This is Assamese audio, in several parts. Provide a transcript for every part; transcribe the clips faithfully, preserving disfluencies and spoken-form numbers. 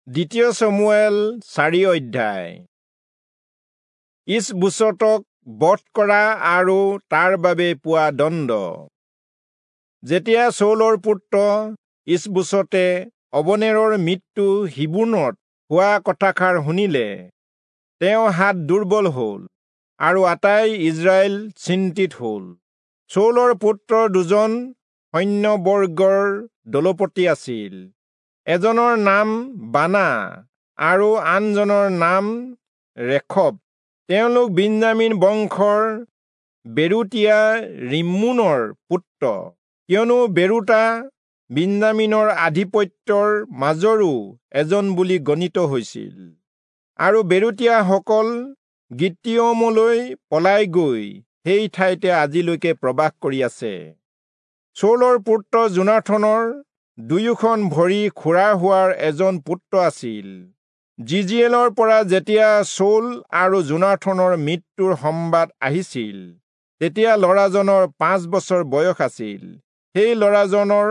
দ্বিতীয় চমূৱেল চাৰি অধ্যায়। ইচবোচতক বধ কৰা আৰু তাৰ বাবে পোৱা দণ্ড। যেতিয়া চৌলৰ পুত্ৰ ইচবোচতে অবনেৰৰ মৃত্যু হিব্ৰোণত হোৱা কথাষাৰ শুনিলে, তেওঁ হাত দুৰ্বল হল আৰু আটাই ইস্ৰায়েল চিন্তিত হল। চৌলৰ পুত্ৰ দুজন সৈন্যবৰ্গৰ দলপতি আছিল, এজনৰ নাম বানা আৰু আনজনৰ নাম ৰেখব। তেওঁলোক বিন্যামীন বংশৰ বেৰোতীয়া ৰিম্মোনৰ পুত্ৰ, কিয়নো বেৰোতা বিন্যামীনৰ আধিপত্যৰ মাজৰো এজন বুলি গণিত হৈছিল। আৰু বেৰোতীয়াসকল গিত্তীয়মলৈ পলাই গৈ সেই ঠাইতে আজিলৈকে প্ৰবাস কৰি আছে। চৌলৰ পুত্ৰ যোনাথনৰ দুয়োখন ভৰি খোৰা হোৱাৰ এজন পুত্ৰ আছিল। জিজিয়েলৰ পৰা যেতিয়া চৌল আৰু যোনাথনৰ মৃত্যুৰ সম্বাদ আহিছিল, তেতিয়া ল'ৰাজনৰ পাঁচ বছৰ বয়স আছিল। সেই ল'ৰাজনৰ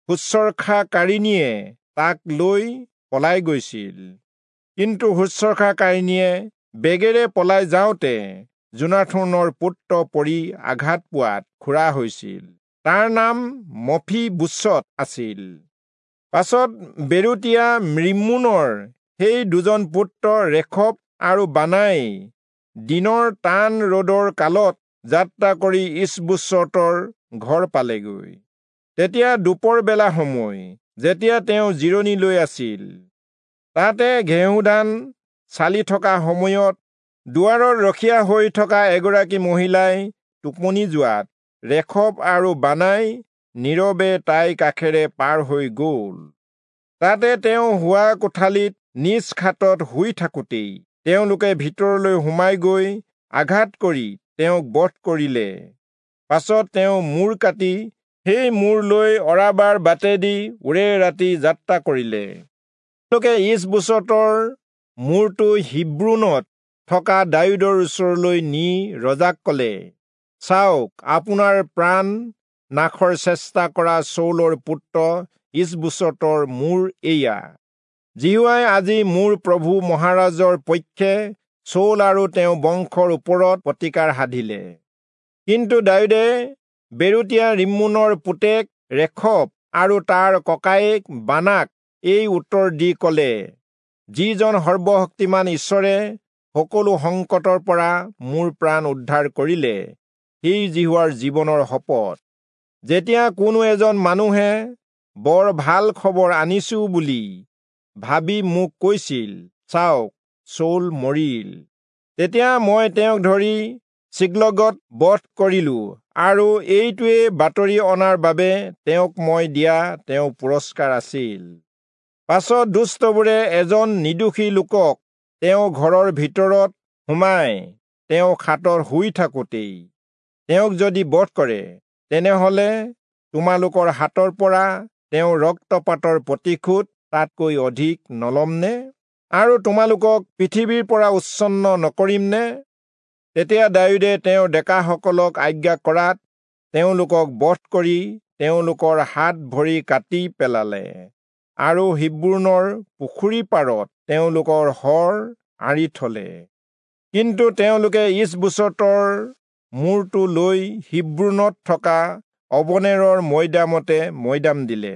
শুশ্ৰূষাকাৰিণীয়ে তাক লৈ পলাই গৈছিল। কিন্তু শুশ্ৰূষাকাৰিণীয়ে বেগেৰে পলাই যাওঁতে যোনাথনৰ পুত্ৰ পৰি আঘাত পোৱাত খোৰা হৈছিল। তাৰ নাম মফীবোচত আছিল। পাছত বেৰোতীয়া ৰিম্মোনৰ সেই দুজন পুত্ৰ ৰেখব আৰু বানাই দিনৰ টান ৰ'দৰ কালত যাত্ৰা কৰি ইচবোচতৰ ঘৰ পালেগৈ। তেতিয়া দুপৰ বেলা সময়, যেতিয়া তেওঁ জিৰণি লৈ আছিল। তাতে ঘেঁহুধান চালি থকা সময়ত দুৱাৰৰ ৰখীয়া হৈ থকা এগৰাকী মহিলাই টোপনি যোৱাত ৰেখব আৰু বানাই নীৰৱে তাইৰ কাষেৰে পাৰ হৈ গ'ল। তাতে তেওঁ শোৱা কোঠালিত নিজ খাটত শুই থাকোঁতেই তেওঁলোকে ভিতৰলৈ সোমাই গৈ আঘাত কৰি তেওঁক বধ কৰিলে। পাছত তেওঁ মূৰ কাটি সেই মূৰ লৈ অৰাবাৰ বাটেদি ওৰে ৰাতি যাত্ৰা কৰিলে। তেওঁলোকে ইচবোচতৰ মূৰটো হিব্ৰোণত থকা দায়ূদৰ ওচৰলৈ নি ৰজাক কলে, চাওক, আপোনাৰ প্ৰাণ নাশৰ চেষ্টা কৰা চৌলৰ পুত্ৰ ইচবোচতৰ মূৰ এয়া। যিহোৱাই আজি মোৰ প্ৰভু মহাৰাজৰ পক্ষে চৌল আৰু তেওঁ বংশৰ ওপৰত প্ৰতিকাৰ সাধিলে। কিন্তু দায়ূদে বেৰোতীয়া ৰিম্মোনৰ পুতেক ৰেখব আৰু তাৰ ককায়েক বানাক এই উত্তৰ দি কলে, যিজন সৰ্বশক্তিমান ঈশ্বৰে সকলো সংকটৰ পৰা মোৰ প্ৰাণ উদ্ধাৰ কৰিলে, সেই যিহোৱাৰ জীৱনৰ শপত, যেতিয়া কোনো এজন মানুহে বৰ ভাল খবৰ আনিছো বুলি ভাবি মোক কৈছিল, চাওক, চৌল মৰিল, তেতিয়া মই তেওঁক ধৰি চিকলগত বধ কৰিলো আৰু এইটোৱে বাতৰি অনাৰ বাবে তেওঁক মই দিয়া তেওঁ পুৰস্কাৰ আছিল। পাছত দুষ্টবোৰে এজন নিৰ্দোষী লোকক তেওঁ ঘৰৰ ভিতৰত সোমাই তেওঁ খাটত শুই থাকোঁতেই তেওঁক যদি বধ কৰে, তেনেহলে তোমালোকৰ হাতৰ পৰা তেওঁ ৰক্তপাতৰ প্ৰতিশোধ তাতকৈ অধিক নলমনে? আৰু তোমালোকক পৃথিৱীৰ পৰা উচ্ছন্ন নকৰিমনে? তেতিয়া দায়ূদে তেওঁৰ ডেকাসকলক আজ্ঞা কৰাত তেওঁলোকক বধ কৰি তেওঁলোকৰ হাত ভৰি কাটি পেলালে আৰু হিব্ৰোণৰ পুখুৰী পাৰত তেওঁলোকৰ শৰ আঁৰি থলে। কিন্তু তেওঁলোকে ইচবোচতৰ মূৰটো লৈ হিব্ৰোণত থকা অবনেৰৰ মৈদামতে মৈদাম দিলে।